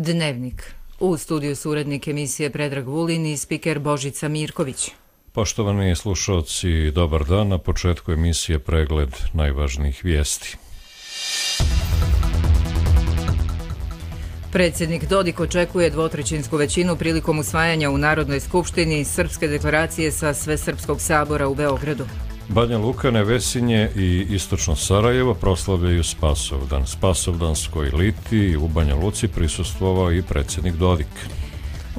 Dnevnik. U studiju su urednik emisije Predrag Vulin i spiker Božica Mirković. Poštovani slušalci, dobar dan. Na početku emisije pregled najvažnijih vijesti. Predsjednik Dodik očekuje dvotrećinsku većinu prilikom usvajanja u Narodnoj skupštini Srpske deklaracije sa Svesrpskog sabora u Beogradu. Banja Luka, Nevesinje i istočno Sarajevo proslavljaju Spasovdan. Spasovdanskoj liti u Banja Luci prisustvovao i predsjednik Dodik.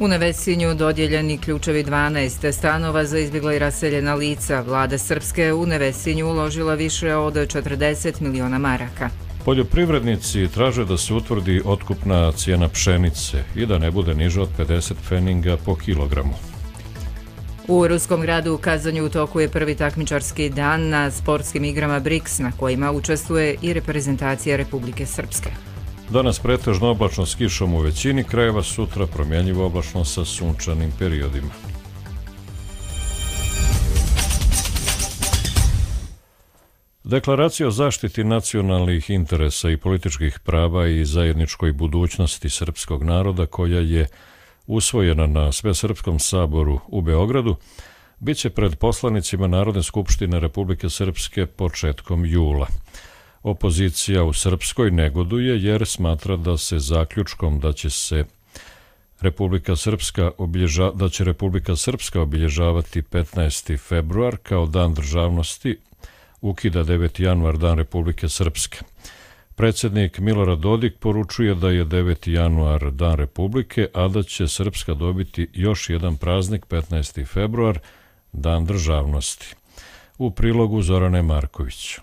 U Nevesinju dodijeljeni ključevi 12 stanova za izbjegla i raseljena lica. Vlada Srpske u Nevesinju uložila više od 40 miliona maraka. Poljoprivrednici traže da se utvrdi otkupna cijena pšenice i da ne bude niža od 50 pfeninga po kilogramu. U ruskom gradu u Kazanju u toku je prvi takmičarski dan na sportskim igrama BRICS, na kojima učestvuje i reprezentacija Republike Srpske. Danas pretežno oblačno s kišom u većini krajeva, sutra promjenjivo oblačno sa sunčanim periodima. Deklaracija o zaštiti nacionalnih interesa i političkih prava i zajedničkoj budućnosti srpskog naroda, koja je usvojena na Svesrpskom saboru u Beogradu, bit će pred poslanicima Narodne skupštine Republike Srpske početkom jula. Opozicija u Srpskoj negoduje jer smatra da se zaključkom da će Republika Srpska obilježavati 15. februar kao dan državnosti, ukida 9. januar dan Republike Srpske. Predsjednik Milorad Dodik poručuje da je 9. januar dan Republike, a da će Srpska dobiti još jedan praznik 15. februar, dan državnosti. U prilogu Zorane Marković.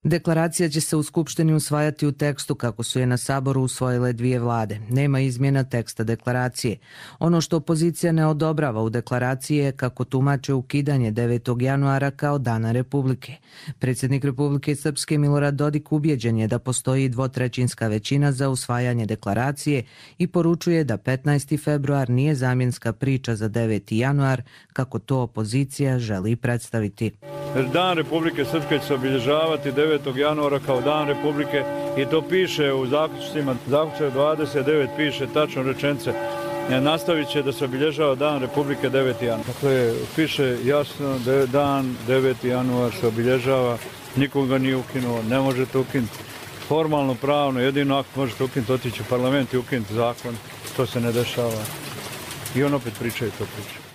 Deklaracija će se u Skupštini usvajati u tekstu kako su je na Saboru usvojile dvije vlade. Nema izmjena teksta deklaracije. Ono što opozicija ne odobrava u deklaraciji je kako tumače ukidanje 9. januara kao dana Republike. Predsjednik Republike Srpske Milorad Dodik ubjeđen je da postoji dvotrećinska većina za usvajanje deklaracije i poručuje da 15. februar nije zamjenska priča za 9. januar, kako to opozicija želi predstaviti. Dan Republike Srpske će se obilježavati 9. januara kao dan Republike i to piše u zaključcima. Zaključak 29 piše tačno rečenice. Nastavit će da se obilježava dan Republike 9. januara. Dakle, piše jasno da je dan 9. januar se obilježava, nikoga nije ukinuo, ne možete ukinuti. Formalno, pravno, jedino ako možete ukinuti, otići u parlament i ukinuti zakon. To se ne dešava. I on opet pričaju to priča.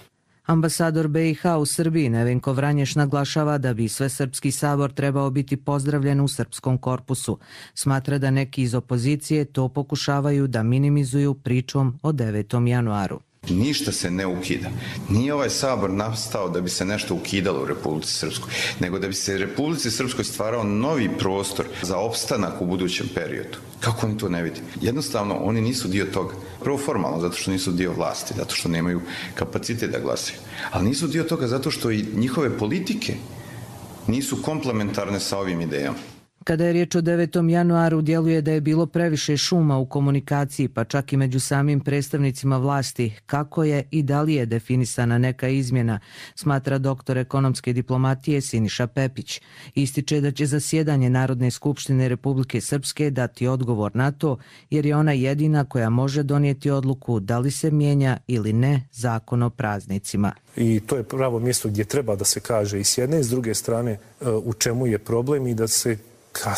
Ambasador BiH u Srbiji Nevenko Vranješ naglašava da bi Svesrpski sabor trebao biti pozdravljen u srpskom korpusu. Smatra da neki iz opozicije to pokušavaju da minimizuju pričom o 9. januaru. Ništa se ne ukida. Nije ovaj sabor nastao da bi se nešto ukidalo u Republici Srpskoj, nego da bi se Republici Srpskoj stvarao novi prostor za opstanak u budućem periodu. Kako oni to ne vidi? Jednostavno, oni nisu dio toga. Prvo formalno, zato što nisu dio vlasti, zato što nemaju kapacitet da glasaju. Ali nisu dio toga zato što i njihove politike nisu komplementarne sa ovim idejama. Kada je riječ o 9. januaru, djeluje da je bilo previše šuma u komunikaciji, pa čak i među samim predstavnicima vlasti. Kako je i da li je definisana neka izmjena, smatra doktor ekonomske diplomatije Siniša Pepić. Ističe da će zasjedanje Narodne skupštine Republike Srpske dati odgovor na to, jer je ona jedina koja može donijeti odluku da li se mijenja ili ne zakon o praznicima. I to je pravo mjesto gdje treba da se kaže i s jedne i s druge strane u čemu je problem i da se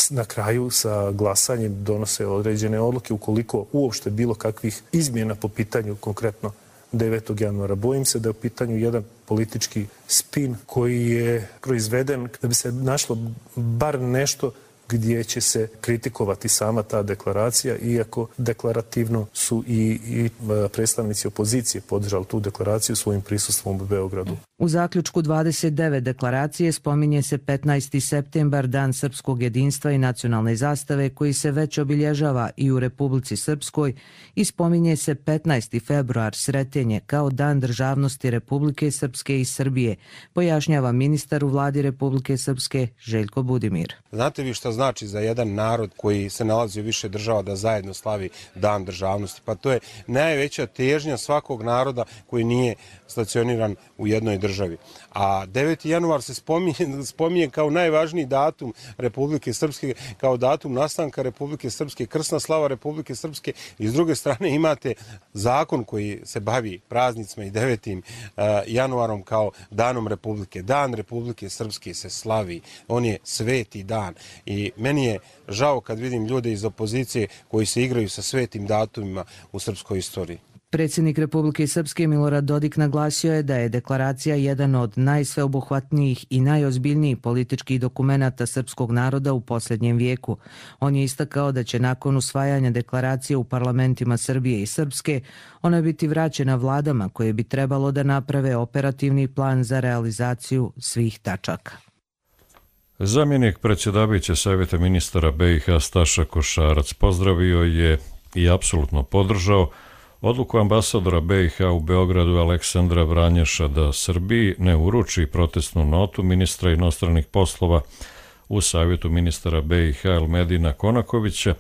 na kraju sa glasanjem donose određene odluke ukoliko uopšte bilo kakvih izmjena po pitanju konkretno 9. januara. Bojim se da je u pitanju jedan politički spin koji je proizveden da bi se našlo bar nešto gdje će se kritikovati sama ta deklaracija, iako deklarativno su i predstavnici opozicije podržali tu deklaraciju svojim prisustvom u Beogradu. U zaključku 29 deklaracije spominje se 15. septembar, dan srpskog jedinstva i nacionalne zastave, koji se već obilježava i u Republici Srpskoj, i spominje se 15. februar, Sretenje, kao dan državnosti Republike Srpske i Srbije, pojašnjava ministar u vladi Republike Srpske Željko Budimir. Znate vi šta znači za jedan narod koji se nalazi u više država da zajedno slavi Dan državnosti. Pa to je najveća težnja svakog naroda koji nije stacioniran u jednoj državi. A 9. januar se spominje kao najvažniji datum Republike Srpske, kao datum nastanka Republike Srpske, krsna slava Republike Srpske, i s druge strane imate zakon koji se bavi praznicima i 9. januarom kao danom Republike. Dan Republike Srpske se slavi, on je sveti dan i meni je žao kad vidim ljude iz opozicije koji se igraju sa svetim datumima u srpskoj istoriji. Predsjednik Republike Srpske Milorad Dodik naglasio je da je deklaracija jedan od najsveobuhvatnijih i najozbiljnijih političkih dokumenata srpskog naroda u posljednjem vijeku. On je istakao da će nakon usvajanja deklaracije u parlamentima Srbije i Srpske ona biti vraćena vladama koje bi trebalo da naprave operativni plan za realizaciju svih tačaka. Zamjenik predsjedavajuće Savjeta ministara BiH Staša Košarac pozdravio je i apsolutno podržao odluku ambasadora BiH u Beogradu Aleksandra Vranješa da Srbiji ne uruči protestnu notu ministra inostranih poslova u Savjetu ministara BiH Elmedina Konakovića,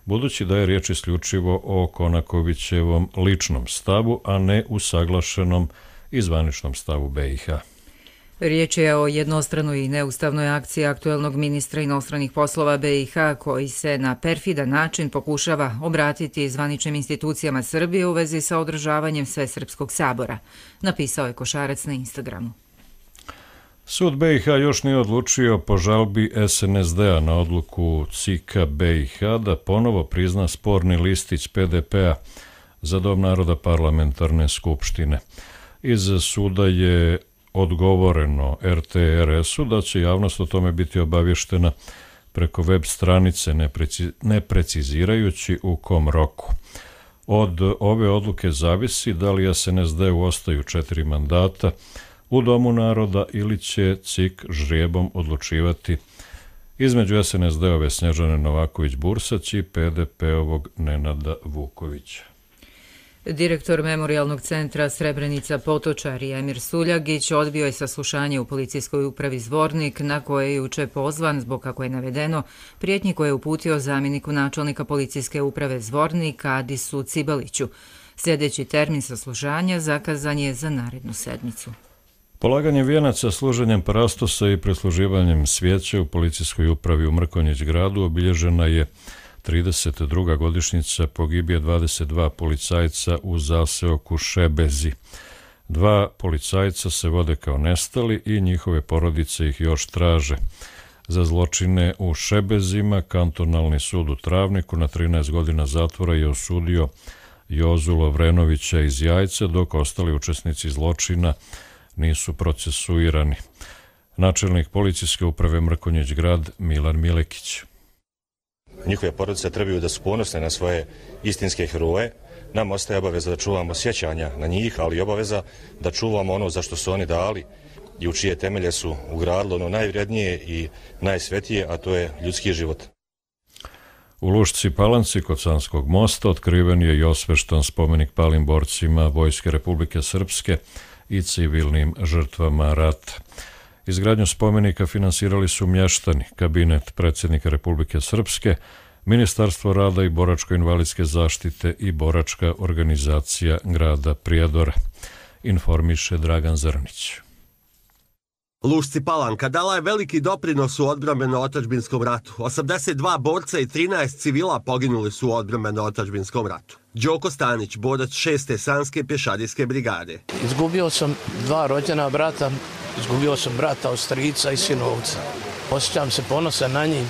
budući da je riječ isključivo o Konakovićevom ličnom stavu, a ne usaglašenom i zvaničnom stavu BiH. Riječ je o jednostranoj i neustavnoj akciji aktuelnog ministra inostranih poslova BiH koji se na perfidan način pokušava obratiti zvaničnim institucijama Srbije u vezi sa održavanjem Svesrpskog sabora, napisao je Košarac na Instagramu. Sud BiH još nije odlučio po žalbi SNSD-a na odluku CIK-a BiH da ponovo prizna sporni listić PDP-a za Dom naroda parlamentarne skupštine. Iz suda je odgovoreno RTRS-u da će javnost o tome biti obavještena preko web stranice, ne precizirajući u kom roku. Od ove odluke zavisi da li SNSD-u ostaju 4 mandata u Domu naroda ili će CIK žrijebom odlučivati između SNSD-ove Snježane Novaković-Bursać i PDP-ovog Nenada Vukovića. Direktor Memorijalnog centra Srebrenica Potočar Emir Suljagić odbio je saslušanje u policijskoj upravi Zvornik na koje je juče pozvan zbog, kako je navedeno, prijetnji koje je uputio zamjeniku načelnika policijske uprave Zvornik Adisu Cibaliću. Sljedeći termin saslušanja zakazan je za narednu sedmicu. Polaganjem vijenaca, služenjem parastosa i presluživanjem svijeća u policijskoj upravi u Mrkonjić gradu obilježena je 32. godišnjica pogibije 22 policajca u zaseoku Šebezi. 2 policajca se vode kao nestali i njihove porodice ih još traže. Za zločine u Šebezima kantonalni sud u Travniku na 13 godina zatvora je osudio Jozu Lovrenovića iz Jajce, dok ostali učesnici zločina nisu procesuirani. Načelnik policijske uprave Mrkonjić grad Milan Milekić. Njihove porodice trebaju da su ponosne na svoje istinske heroje. Nam ostaje obaveza da čuvamo sjećanja na njih, ali i obaveza da čuvamo ono za što su oni dali i u čije temelje su ugradili ono najvrednije i najsvetije, a to je ljudski život. U Lušci Palanci kod Sanskog mosta otkriven je i osveštan spomenik palim borcima Vojske Republike Srpske i civilnim žrtvama rata. Izgradnju spomenika finansirali su mještani, kabinet predsjednika Republike Srpske, Ministarstvo rada i boračko-invalidske zaštite i boračka organizacija grada Prijedora, informiše Dragan Zrnić. Lušci Palanka dala je veliki doprinos u odbrambeno-otadžbinskom ratu. 82 borca i 13 civila poginuli su u odbrambeno-otadžbinskom ratu. Đoko Stanić, borac 6. Sanske pješadijske brigade. Izgubio sam 2 rođena brata, izgubio sam brata od strica i sinovca. Osjećam se ponosan na njih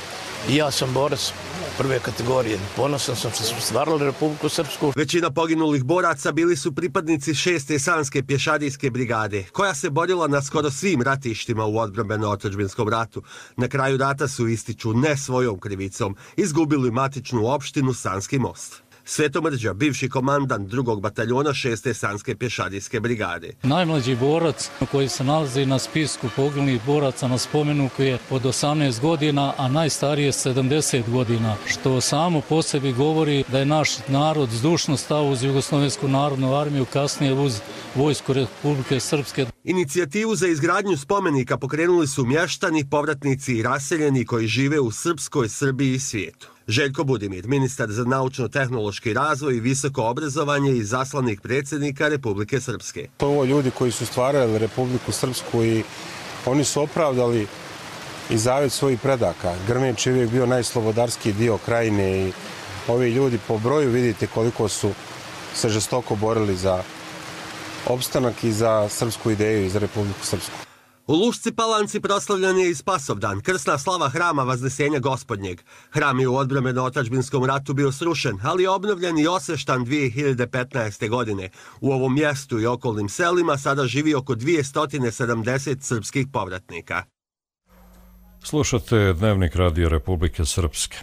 i ja sam borac prve kategorije. Ponosan sam što smo stvarali Republiku Srpsku. Većina poginulih boraca bili su pripadnici 6. Sanske pješadijske brigade, koja se borila na skoro svim ratištima u odbrambeno-otadžbinskom ratu. Na kraju rata su, ističu, ne svojom krivicom, izgubili matičnu opštinu Sanski most. Sveto Mrđa, bivši komandant 2. bataljona 6. Sanske pješadijske brigade. Najmlađi borac koji se nalazi na spisku poginulih boraca na spomeniku je od 18 godina, a najstariji je 70 godina, što samo po sebi govori da je naš narod zdušno stao uz Jugoslovensku narodnu armiju, kasnije uz vojsku Republike Srpske. Inicijativu za izgradnju spomenika pokrenuli su mještani, povratnici i raseljeni koji žive u srpskoj Srbiji i svijetu. Željko Budimir, ministar za naučno-tehnološki razvoj i visoko obrazovanje i zaslanik predsjednika Republike Srpske. Ovo ljudi koji su stvarali Republiku Srpsku i oni su opravdali i zavet svojih predaka. Grmenč je uvijek bio najslobodarski dio krajine i ovi ljudi po broju vidite koliko su se žestoko borili za opstanak i za srpsku ideju i za Republiku Srpsku. U Lušci Palanci proslavljan je i Spasovdan, krsna slava hrama Vaznesenja Gospodnjeg. Hram je u odbrambeno-otadžbinskom ratu bio srušen, ali je obnovljen i osveštan 2015. godine. U ovom mjestu i okolnim selima sada živi oko 270 srpskih povratnika. Slušate Dnevnik Radio Republike Srpske.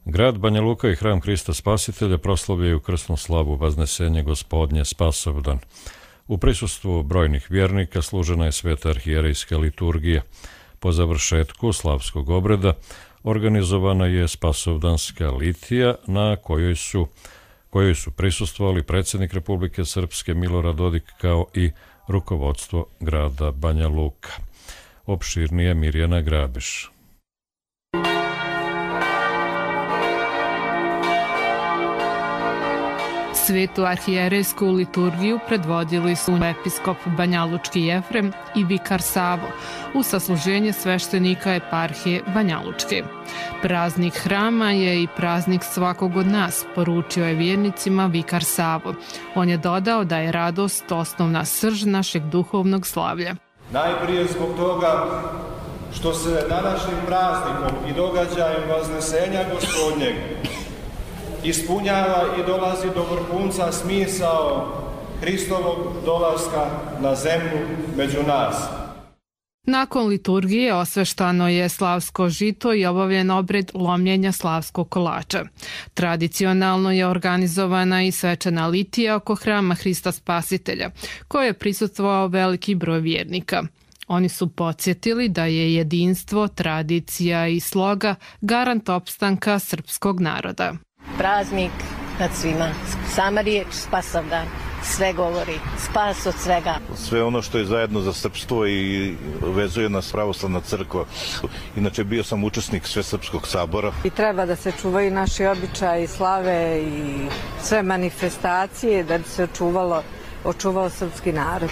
Grad Banja Luka i hram Hrista Spasitelja proslavljaju krsnu slavu Vaznesenje Gospodnje Spasovdan. U prisustvu brojnih vjernika služena je sveta arhijerejska liturgija. Po završetku slavskog obreda organizovana je spasovdanska litija na kojoj su prisustvovali predsjednik Republike Srpske Milorad Dodik kao i rukovodstvo grada Banja Luka. Opširnije Mirjana Grabiš. Svetu arhijerejsku liturgiju predvodili su episkop Banjalučki Jefrem i vikar Savo u sasluženje sveštenika eparhije Banjalučke. Praznik hrama je i praznik svakog od nas, poručio je vjernicima vikar Savo. On je dodao da je radost osnovna srž našeg duhovnog slavlja. Najprije zbog toga što se današnjim praznikom i događajem Vaznesenja Gospodnjeg ispunjava i dolazi do vrhunca smisao Hristovog dolaska na zemlju među nas. Nakon liturgije osveštano je slavsko žito i obavljen obred lomljenja slavskog kolača. Tradicionalno je organizovana i svečana litija oko hrama Hrista Spasitelja, koje je prisustvovao veliki broj vjernika. Oni su podsjetili da je jedinstvo, tradicija i sloga garant opstanka srpskog naroda. Praznik nad svima, sama riječ Spasovdan sve govori, spas od svega. Sve ono što je zajedno za srpstvo i vezuje nas pravoslavna crkva. Inače bio sam učesnik Svesrpskog sabora. I treba da se čuvaju naši običaji, slave i sve manifestacije da bi se očuvao srpski narod.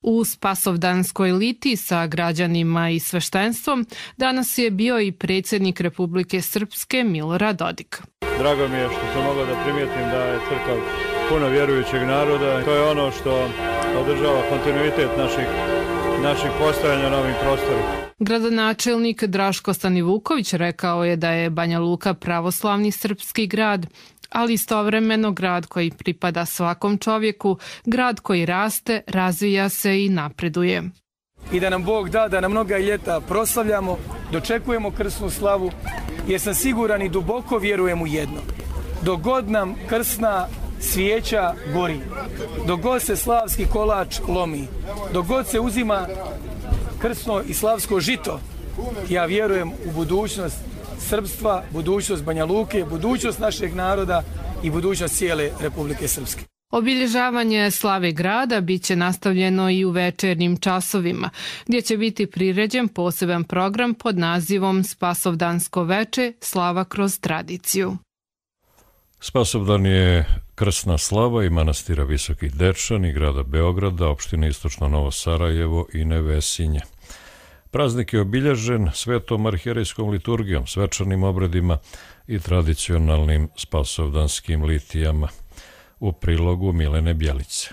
U spasovdanskoj litiji sa građanima i sveštenstvom danas je bio i predsjednik Republike Srpske Milorad Dodik. Drago mi je što sam mogao da primijetim da je crkva puno vjerujućeg naroda. To je ono što održava kontinuitet naših postojanja na ovim prostorima. Gradonačelnik Draško Stanivuković rekao je da je Banja Luka pravoslavni srpski grad, ali istovremeno grad koji pripada svakom čovjeku, grad koji raste, razvija se i napreduje. I da nam Bog da da na mnoga ljeta proslavljamo, dočekujemo krsnu slavu, jer sam siguran i duboko vjerujem u jedno. Dok god nam krsna svijeća gori, dok god se slavski kolač lomi, dok god se uzima krsno i slavsko žito, ja vjerujem u budućnost srpstva, budućnost Banja Luke, budućnost našeg naroda i budućnost cijele Republike Srpske. Obilježavanje slave grada bit će nastavljeno i u večernjim časovima, gdje će biti priređen poseban program pod nazivom Spasovdansko veče, slava kroz tradiciju. Spasovdan je krsna slava i manastira Visoki Dečan i grada Beograda, opštine Istočno Novo Sarajevo i Nevesinje. Praznik je obilježen svetom arhijerejskom liturgijom, svečanim obredima i tradicionalnim spasovdanskim litijama. U prilogu Milene Bjelice.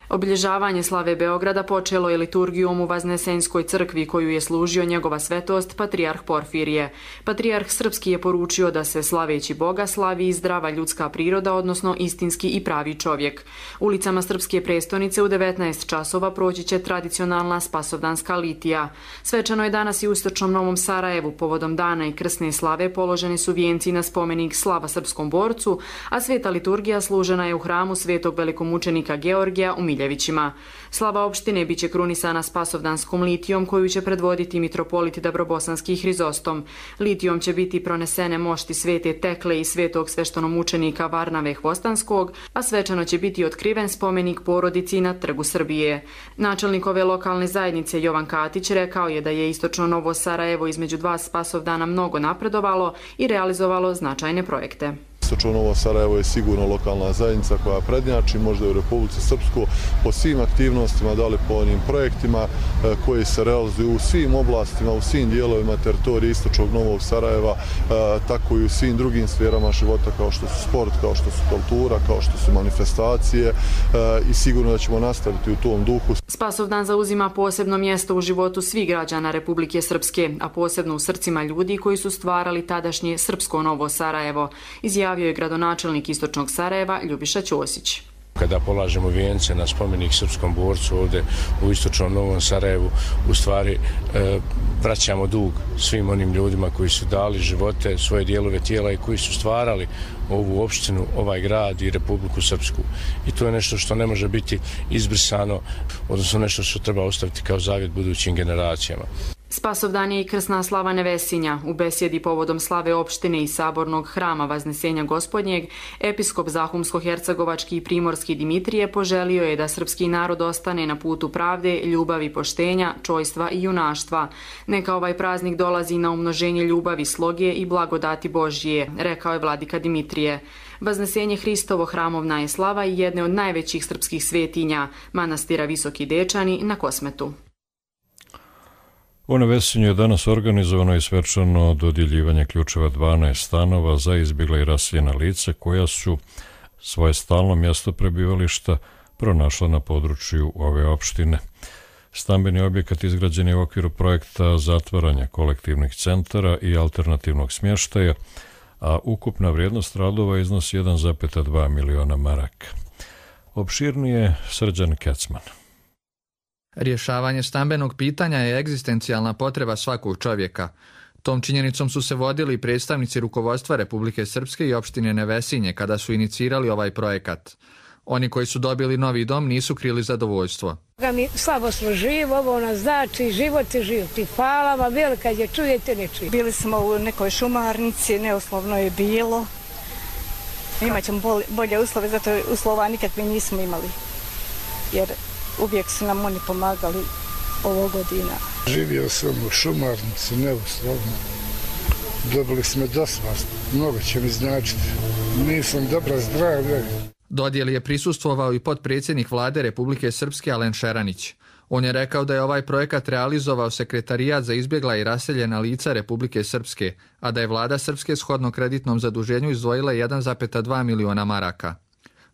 Obilježavanje slave Beograda počelo je liturgijom u Vaznesenjskoj crkvi koju je služio njegova svetost patrijarh Porfirije. Patrijarh srpski je poručio da se slaveći Boga slavi i zdrava ljudska priroda, odnosno istinski i pravi čovjek. Ulicama srpske prestonice u 19 časova proći će tradicionalna spasovdanska litija. Svečano je danas i u Istočnom Novom Sarajevu. Povodom dana i krsne slave položeni su vijenci na spomenik slava srpskom borcu, a sveta liturgija služena je u hramu svetog velikomučenika Georgija u Miljevačkoj. Vasiljevićima. Slava opštine biće krunisana Spasovdanskom litijom koju će predvoditi mitropolit Dabrobosanski Hrizostom. Litijom će biti pronesene mošti Svete Tekle i svetog sveštenomučenika Varnave Hvostanskog, a svečano će biti otkriven spomenik porodici na Trgu Srbije. Načelnik ove lokalne zajednice Jovan Katić rekao je da je istočno Novo Sarajevo između dva Spasovdana mnogo napredovalo i realizovalo značajne projekte. Istočno Novo Sarajevo je sigurno lokalna zajednica koja prednjači možda u Republici Srpskoj po svim aktivnostima, da li po onim projektima koji se realizuju u svim oblastima, u svim dijelovima teritorije istočnog Novog Sarajeva, tako i u svim drugim sferama života kao što su sport, kao što su kultura, kao što su manifestacije i sigurno da ćemo nastaviti u tom duhu. Spasovdan zauzima posebno mjesto u životu svih građana Republike Srpske, a posebno u srcima ljudi koji su stvarali tadašnje Srpsko Novo Sarajevo, izjavio je gradonačelnik istočnog Sarajeva Ljubiša Ćosić. Kada polažemo vijence na spomenik srpskom borcu ovdje u istočnom Novom Sarajevu, u stvari vraćamo dug svim onim ljudima koji su dali živote, svoje dijelove tijela i koji su stvarali ovu opštinu, ovaj grad i Republiku Srpsku. I to je nešto što ne može biti izbrisano, odnosno nešto što treba ostaviti kao zavjet budućim generacijama. Spasovdan je i krsna slava Nevesinja. U besjedi povodom slave opštine i sabornog hrama Vaznesenja Gospodnjeg, episkop Zahumsko-hercegovački i primorski Dimitrije poželio je da srpski narod ostane na putu pravde, ljubavi, poštenja, čojstva i junaštva. Neka ovaj praznik dolazi na umnoženje ljubavi, sloge i blagodati Božije, rekao je vladika Dimitrije. Vaznesenje Hristovo hramovna je slava i jedne od najvećih srpskih svetinja, manastira Visoki Dečani na Kosmetu. U Nevesinju je danas organizovano i svečano dodjeljivanje ključeva 12 stanova za izbjegla i raseljena lica koja su svoje stalno mjesto prebivališta pronašla na području ove opštine. Stambeni objekat izgrađen je u okviru projekta zatvaranja kolektivnih centara i alternativnog smještaja, a ukupna vrijednost radova iznosi 1,2 miliona maraka. Opširnije Srđan Kecman. Rješavanje stambenog pitanja je egzistencijalna potreba svakog čovjeka. Tom činjenicom su se vodili predstavnici rukovodstva Republike Srpske i opštine Nevesinje kada su inicirali ovaj projekat. Oni koji su dobili novi dom nisu krili zadovoljstvo. Mi slabo smo živi, ovo nas znači, život je živ. Hvala vam, bilo kad je čujete, ne čujete. Bili smo u nekoj šumarnici, neuslovno je bilo. Imaćemo bolje uslove, zato uslova nikakve nismo imali. Jer uvijek su nam oni pomagali ovo godina. Živio sam u šumarnici, neuslovno. Dobili smo dosvast, mnogo će mi značiti. Nisam dobra zdravlja. Dodjeli je prisustvovao i potpredsjednik vlade Republike Srpske Alen Šeranić. On je rekao da je ovaj projekat realizovao Sekretarijat za izbjegla i raseljena lica Republike Srpske, a da je vlada Srpske shodno kreditnom zaduženju izdvojila 1,2 miliona maraka.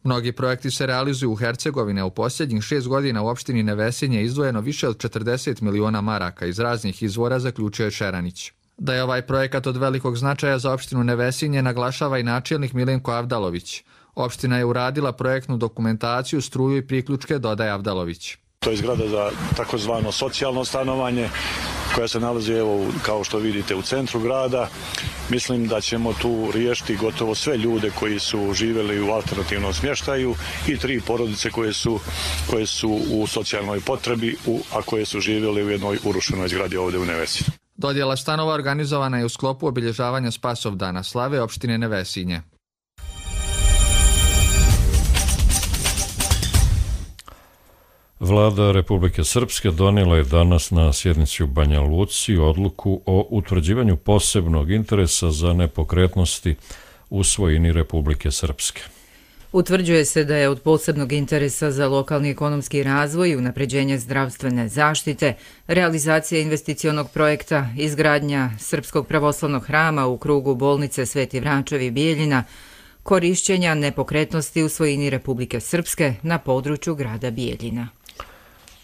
Mnogi projekti se realizuju u Hercegovini, a u posljednjih 6 godina u opštini Nevesinje je izdvojeno više od 40 miliona maraka iz raznih izvora, zaključio je Šeranić. Da je ovaj projekat od velikog značaja za opštinu Nevesinje naglašava i načelnik Milenko Avdalović. Opština je uradila projektnu dokumentaciju, struju i priključke, dodaje Avdalović. To je zgrada za takozvano socijalno stanovanje koja se nalazi, evo, kao što vidite, u centru grada. Mislim da ćemo tu riješiti gotovo sve ljude koji su živjeli u alternativnom smještaju i 3 porodice koje su u socijalnoj potrebi, a koje su živjeli u jednoj urušenoj zgradi ovdje u Nevesinju. Dodjela stanova organizovana je u sklopu obilježavanja Spasovdana slave opštine Nevesinje. Vlada Republike Srpske donijela je danas na sjednici u Banja Luci odluku o utvrđivanju posebnog interesa za nepokretnosti u svojini Republike Srpske. Utvrđuje se da je od posebnog interesa za lokalni ekonomski razvoj i unapređenje zdravstvene zaštite, realizacija investicionog projekta, izgradnja Srpskog pravoslavnog hrama u krugu bolnice Sveti Vračevi Bijeljina, korišćenja nepokretnosti u svojini Republike Srpske na području grada Bijeljina.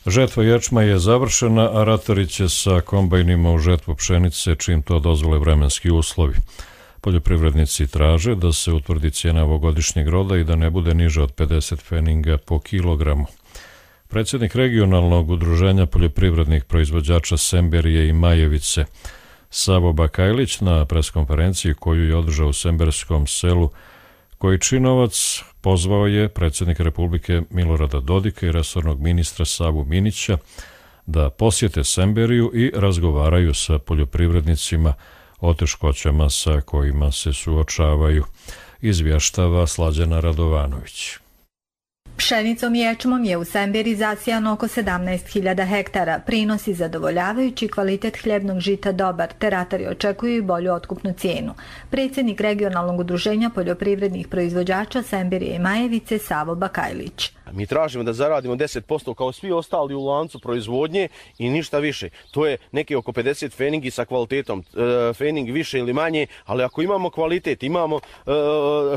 Žetva ječma je završena, a ratari će sa kombajnima u žetvu pšenice čim to dozvole vremenski uslovi. Poljoprivrednici traže da se utvrdi cijena ovogodišnjeg roda i da ne bude niža od 50 pfeninga po kilogramu. Predsjednik regionalnog udruženja poljoprivrednih proizvođača Semberije i Majevice, Savo Bakajlić, na preskonferenciji koju je održao u Semberskom selu Kojčinovac, pozvao je predsjednika Republike Milorada Dodika i resornog ministra Savu Minića da posjete Semberiju i razgovaraju sa poljoprivrednicima o teškoćama sa kojima se suočavaju, izvještava Slađana Radovanović. Pšenicom i ječmom je u Semberi zasijano oko 17.000 hektara. Prinosi zadovoljavajući, kvalitet hljebnog žita dobar, te ratari očekuju i bolju otkupnu cijenu. Predsjednik regionalnog udruženja poljoprivrednih proizvođača Semberije i Majevice Savo Bakajlić. Mi tražimo da zaradimo 10% kao svi ostali u lancu proizvodnje i ništa više. To je neki oko 50 feningi sa kvalitetom. Fening više ili manje, ali ako imamo kvalitet, imamo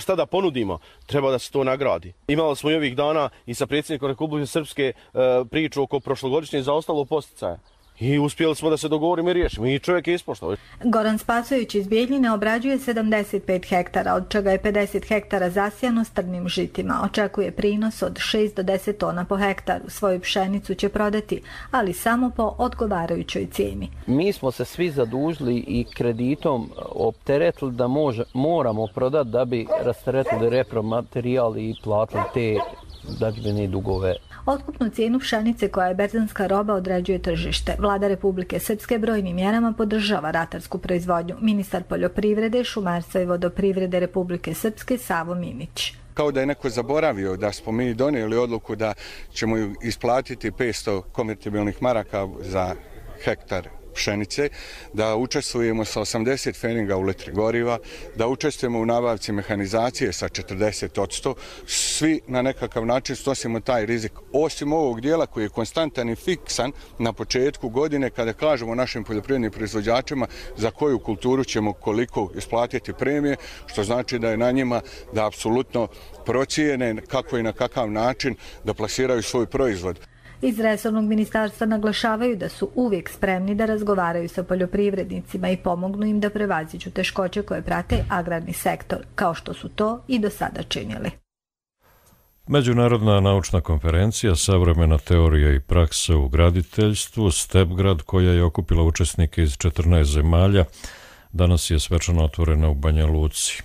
šta da ponudimo, treba da se to nagradi. Imali smo i ovih dana i sa predsjednikom Republike Srpske priču oko prošlogodišnje zaostalo posticaja. I uspjeli smo da se dogovorimo i riješimo. I čovjek je ispoštao. Goran Spasović iz Bijeljine obrađuje 75 hektara, od čega je 50 hektara zasijano strnim žitima. Očekuje prinos od 6 do 10 tona po hektaru. Svoju pšenicu će prodati, ali samo po odgovarajućoj cijeni. Mi smo se svi zadužili i kreditom opteretili da moramo prodati da bi rasteretili repromaterijal i platili te dažbine i dugove. Otkupnu cijenu pšenice koja je berzanska roba određuje tržište. Vlada Republike Srpske brojnim mjerama podržava ratarsku proizvodnju. Ministar poljoprivrede, šumarstva i vodoprivrede Republike Srpske Savo Minić. Kao da je neko zaboravio da smo mi donijeli odluku da ćemo isplatiti 500 konvertibilnih maraka za hektar pšenice, da učestvujemo sa 80 feninga u litri goriva, da učestvujemo u nabavci mehanizacije sa 40%. Svi na nekakav način snosimo taj rizik. Osim ovog dijela koji je konstantan i fiksan na početku godine kada kažemo našim poljoprivrednim proizvođačima za koju kulturu ćemo koliko isplatiti premije, što znači da je na njima da apsolutno procijene kako i na kakav način da plasiraju svoj proizvod. Iz resornog ministarstva naglašavaju da su uvijek spremni da razgovaraju sa poljoprivrednicima i pomognu im da prevaziđu teškoće koje prate agrarni sektor, kao što su to i do sada činili. Međunarodna naučna konferencija Savremena teorija i praksa u graditeljstvu Stepgrad, koja je okupila učesnike iz 14 zemalja, danas je svečano otvorena u Banja Luci.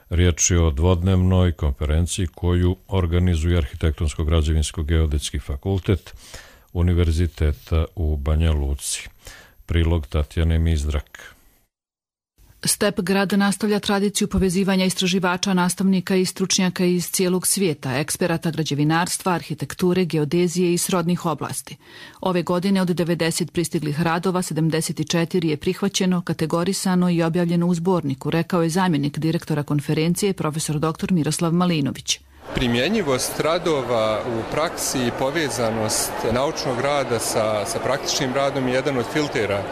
Riječ je o dvodnevnoj konferenciji koju organizuje Arhitektonsko-građevinsko-geodetski fakultet Univerziteta u Banja Luci. Prilog Tatjane Mizdrak. Stepgrad nastavlja tradiciju povezivanja istraživača, nastavnika i stručnjaka iz cijelog svijeta, eksperata građevinarstva, arhitekture, geodezije i srodnih oblasti. Ove godine od 90 pristiglih radova, 74 je prihvaćeno, kategorisano i objavljeno u zborniku, rekao je zamjenik direktora konferencije, profesor dr. Miroslav Malinović. Primjenjivost radova u praksi i povezanost naučnog rada sa praktičnim radom je jedan od filtera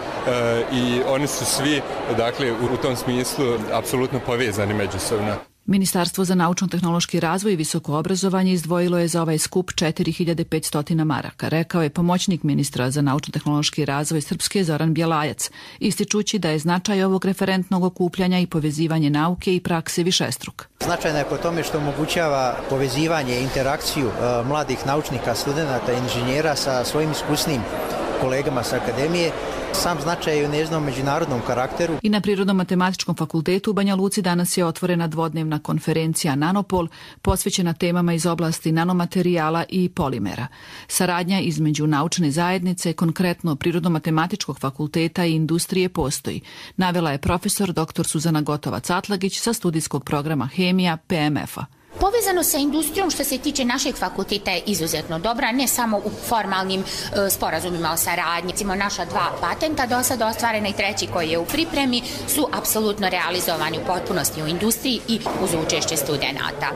i oni su svi, dakle, u tom smislu apsolutno povezani međusobno. Ministarstvo za naučno-tehnološki razvoj i visoko obrazovanje izdvojilo je za ovaj skup 4500 maraka, rekao je pomoćnik ministra za naučno-tehnološki razvoj Srpske Zoran Bjelajac, ističući da je značaj ovog referentnog okupljanja i povezivanje nauke i prakse višestruk. Značajna je po tome što omogućava povezivanje i interakciju mladih naučnika, studenata i inženjera sa svojim iskusnim kolegama sa akademije. Sam značaj je u njezinom međunarodnom karakteru. I na Prirodno-matematičkom fakultetu u Banja Luci danas je otvorena dvodnevna konferencija Nanopol, posvećena temama iz oblasti nanomaterijala i polimera. Saradnja između naučne zajednice, konkretno Prirodno-matematičkog fakulteta i industrije postoji, navela je profesor dr. Suzana Gotovac-Atlagić sa studijskog programa Hemija PMF-a. Povezano sa industrijom što se tiče našeg fakulteta je izuzetno dobra, ne samo u formalnim sporazumima o saradnji. Recimo naša 2 patenta do sada ostvarena i 3 koji je u pripremi su apsolutno realizovani u potpunosti u industriji i uz učešće studenata.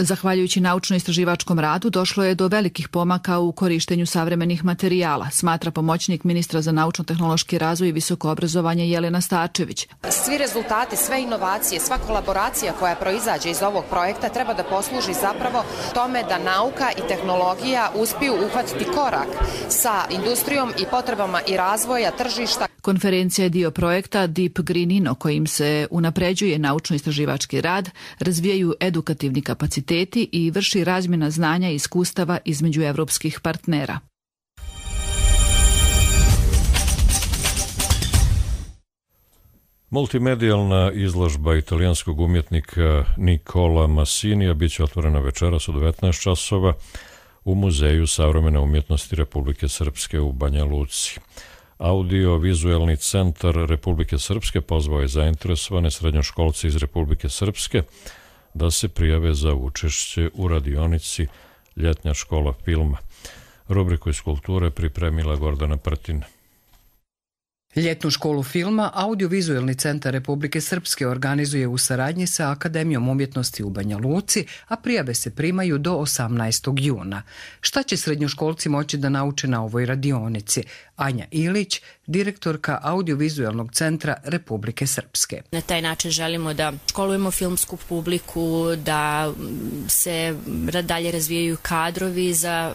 Zahvaljujući naučno-istraživačkom radu došlo je do velikih pomaka u korištenju savremenih materijala, smatra pomoćnik ministra za naučno-tehnološki razvoj i visoko obrazovanje Jelena Starčević. Svi rezultati, sve inovacije, sva kolaboracija koja proizađe iz ovog projekta treba da posluži zapravo tome da nauka i tehnologija uspiju uhvatiti korak sa industrijom i potrebama i razvoja tržišta. Konferencija je dio projekta Deep Green Inno kojim se unapređuje naučno-istraživački rad, razvijaju edukativni kapaciteti i vrši razmjena znanja i iskustava između evropskih partnera. Multimedijalna izložba italijanskog umjetnika Nicola Massinija bit će otvorena večeras u 19 časova u Muzeju savremene umjetnosti Republike Srpske u Banja Luci. Audio-vizuelni centar Republike Srpske pozvao je zainteresovane srednjoškolce iz Republike Srpske da se prijave za učešće u radionici Ljetnja škola filma. Rubriku iz kulture pripremila Gordana Prtin. Ljetnu školu filma Audio-vizuelni centar Republike Srpske organizuje u saradnji sa Akademijom umjetnosti u Banja Luci, a prijave se primaju do 18. juna. Šta će srednjoškolci moći da nauče na ovoj radionici? Anja Ilić, direktorka Audio-vizuelnog centra Republike Srpske. Na taj način želimo da školujemo filmsku publiku, da se dalje razvijaju kadrovi za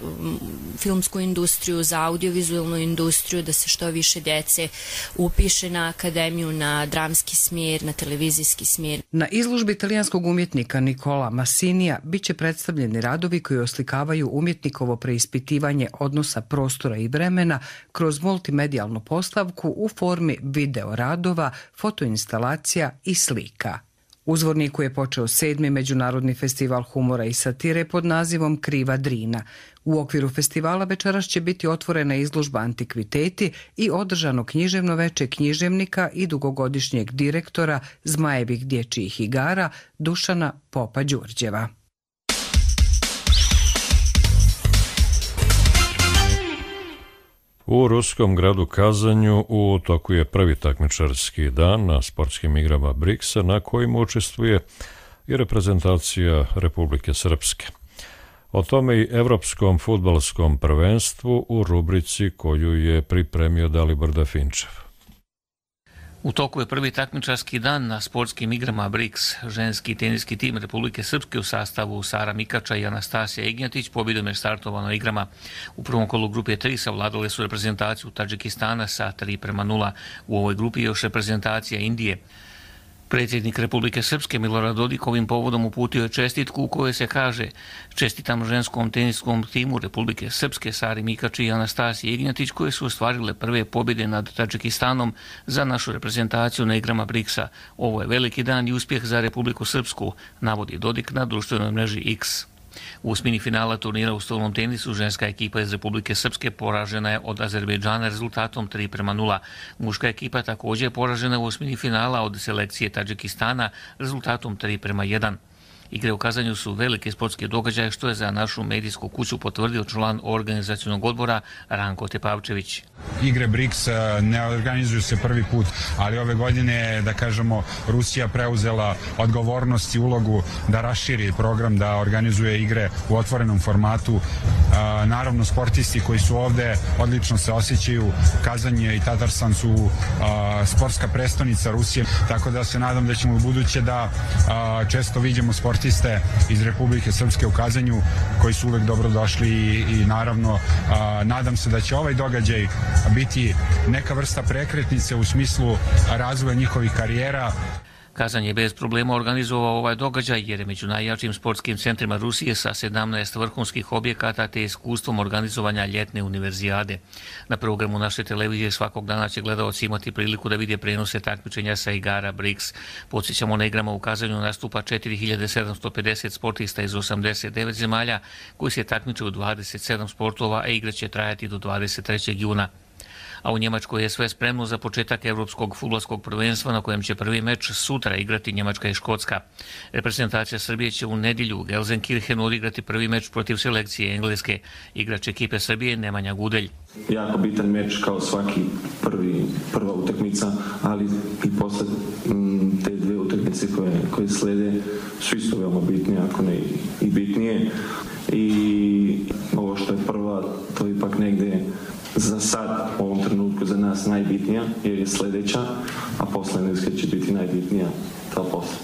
filmsku industriju, za audio-vizuelnu industriju, da se što više djece upiše na akademiju, na dramski smjer, na televizijski smjer. Na izložbi italijanskog umjetnika Nicola Massinija bit će predstavljeni radovi koji oslikavaju umjetnikovo preispitivanje odnosa prostora i vremena kroz multimedijalnu postavku u formi video radova, fotoinstalacija i slika. U Zvorniku je počeo 7. Međunarodni festival humora i satire pod nazivom Kriva Drina. U okviru festivala večeras će biti otvorena izložba antikviteti i održano književno veče književnika i dugogodišnjeg direktora Zmajevih dječjih igara Dušana Popa Đurđeva. U ruskom gradu Kazanju u toku je prvi takmičarski dan na sportskim igrama BRICS-a na kojima učestvuje i reprezentacija Republike Srpske. O tome i Evropskom fudbalskom prvenstvu u rubrici koju je pripremio Dalibor Dafinčev. U toku je prvi takmičarski dan na sportskim igrama BRICS. Ženski teniski tim Republike Srpske u sastavu Sara Mikača i Anastasija Ignjatić pobjedom je startovao na igrama. U prvom kolu grupe 3 savladale su reprezentaciju Tadžikistana sa 3:0. U ovoj grupi još reprezentacija Indije. Predsjednik Republike Srpske Milorad Dodik ovim povodom uputio je čestitku u kojoj se kaže: čestitam ženskom teniskom timu Republike Srpske Sari Mikači i Anastasiji Ignjatić koje su ostvarile prve pobjede nad Tadžikistanom za našu reprezentaciju na igrama BRICS-a. Ovo je veliki dan i uspjeh za Republiku Srpsku, navodi Dodik na društvenoj mreži X. U osmini finala turnira u stolnom tenisu ženska ekipa iz Republike Srpske poražena je od Azerbejdžana rezultatom 3:0. Muška ekipa također je poražena u osmini finala od selekcije Tadžikistana rezultatom 3:1. Igre u Kazanju su velike sportske događaje, što je za našu medijsku kuću potvrdio član organizacionog odbora Ranko Tepavčević. Igre BRICS ne organizuju se prvi put, ali ove godine, da kažemo, Rusija preuzela odgovornost i ulogu da raširi program, da organizuje igre u otvorenom formatu. Naravno, sportisti koji su ovde odlično se osjećaju. Kazanje i Tatarstan su sportska prestonica Rusije, tako da se nadam da ćemo u buduće da često vidimo sportiste iz Republike Srpske u Kazanju koji su uvek dobrodošli i naravno nadam se da će ovaj događaj biti neka vrsta prekretnice u smislu razvoja njihovih karijera. Kazan je bez problema organizovao ovaj događaj jer je među najjačim sportskim centrima Rusije sa 17 vrhunskih objekata te iskustvom organizovanja ljetne univerzijade. Na programu naše televizije svakog dana će gledaoci imati priliku da vide prenose takmičenja sa igara BRICS. Podsjećamo, na igrama u Kazanju nastupa 4750 sportista iz 89 zemalja koji se takmiče u 27 sportova, a igra će trajati do 23. juna. A u Njemačkoj je sve spremno za početak Evropskog fudbalskog prvenstva na kojem će prvi meč sutra igrati Njemačka i Škotska. Reprezentacija Srbije će u nedjelju u Gelsenkirchenu odigrati prvi meč protiv selekcije Engleske. Igrač ekipe Srbije Nemanja Gudelj. Jako bitan meč kao svaki prva utakmica, ali i posle te dve utakmice koje slede su isto veoma bitnije, ako ne i bitnije. I ovo što je prva, to je ipak negde za sad, u ovom trenutku za nas najbitnija, jer je sljedeća, a posle Engleska će biti najbitnija ta posle.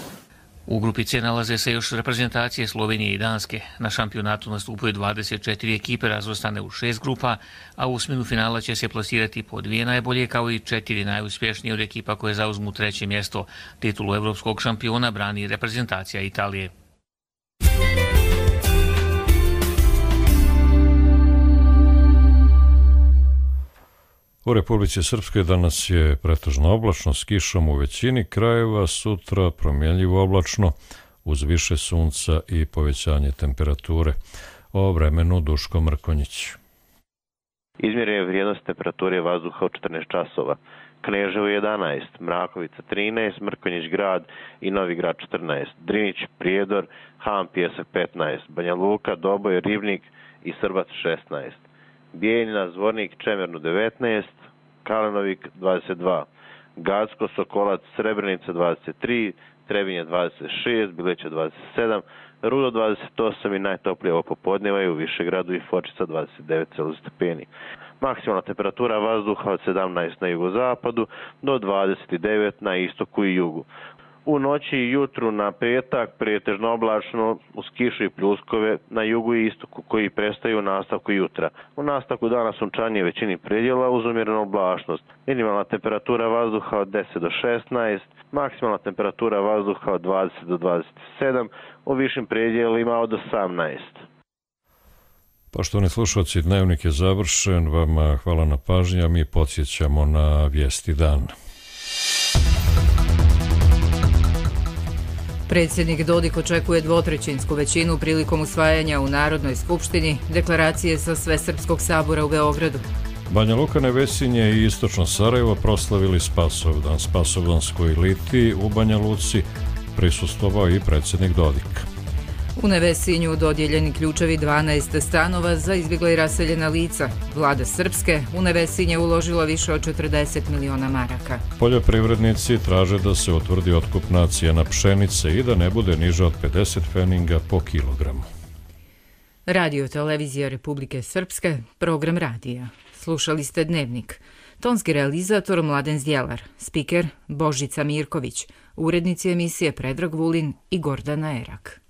U grupi C nalaze se još reprezentacije Slovenije i Danske. Na šampionatu nastupuje 24 ekipe razvrstane u 6 grupa, a u osminu finala će se plasirati po 2 najbolje kao i 4 najuspješnije od ekipa koje zauzmu 3. mjesto. Titulu evropskog šampiona brani reprezentacija Italije. U Republici Srpskoj danas je pretežno oblačno s kišom u većini krajeva, sutra promjenljivo oblačno uz više sunca i povećanje temperature. O vremenu Duško Mrkonjić. Izmjerena vrijednost temperature vazduha u 14 časova. Kneževo 11, Mrakovica 13, Mrkonjić grad i Novi grad 14, Drinić, Prijedor, Han Pjesak 15, Banja Luka, Doboj, Ribnik i Srbac 16, Bijeljina, Zvornik, Čemernu 19, Kalenovik 22, Gacko, Sokolac, Srebrenica 23, Trebinje 26, Bileća 27, Rudo 28 i najtoplije ovo popodneva je u Višegradu i Fočica 29 stepeni. Maksimalna temperatura vazduha od 17 na jugozapadu do 29 na istoku i jugu. U noći i jutru na petak pretežno oblačno uz kišu i pljuskove na jugu i istoku koji prestaju u nastavku jutra. U nastavku dana sunčanje većini predjela uz umjerenu oblačnost. Minimalna temperatura vazduha od 10 do 16, maksimalna temperatura vazduha od 20 do 27, u višim predjelima od 18. Poštovani slušalci, dnevnik je završen. Vama hvala na pažnji, a mi podsjećamo na vijesti dana. Predsjednik Dodik očekuje dvotrećinsku većinu prilikom usvajanja u Narodnoj skupštini deklaracije sa Svesrpskog sabora u Beogradu. Banja Luka, Nevesinje i Istočno Sarajevo proslavili Spasovdan. Spasovdanskoj liti u Banja Luci prisustvovao i predsjednik Dodik. U Nevesinju dodijeljeni ključevi 12 stanova za izbjegla i raseljena lica. Vlada Srpske u Nevesinje uložila više od 40 miliona maraka. Poljoprivrednici traže da se utvrdi otkupna cijena pšenice i da ne bude niža od 50 pfeninga po kilogramu. Radio Televizija Republike Srpske, program radija. Slušali ste Dnevnik. Tonski realizator Mladen Zdjelar, spiker Božica Mirković, urednici emisije Predrag Vulin i Gordana Erak.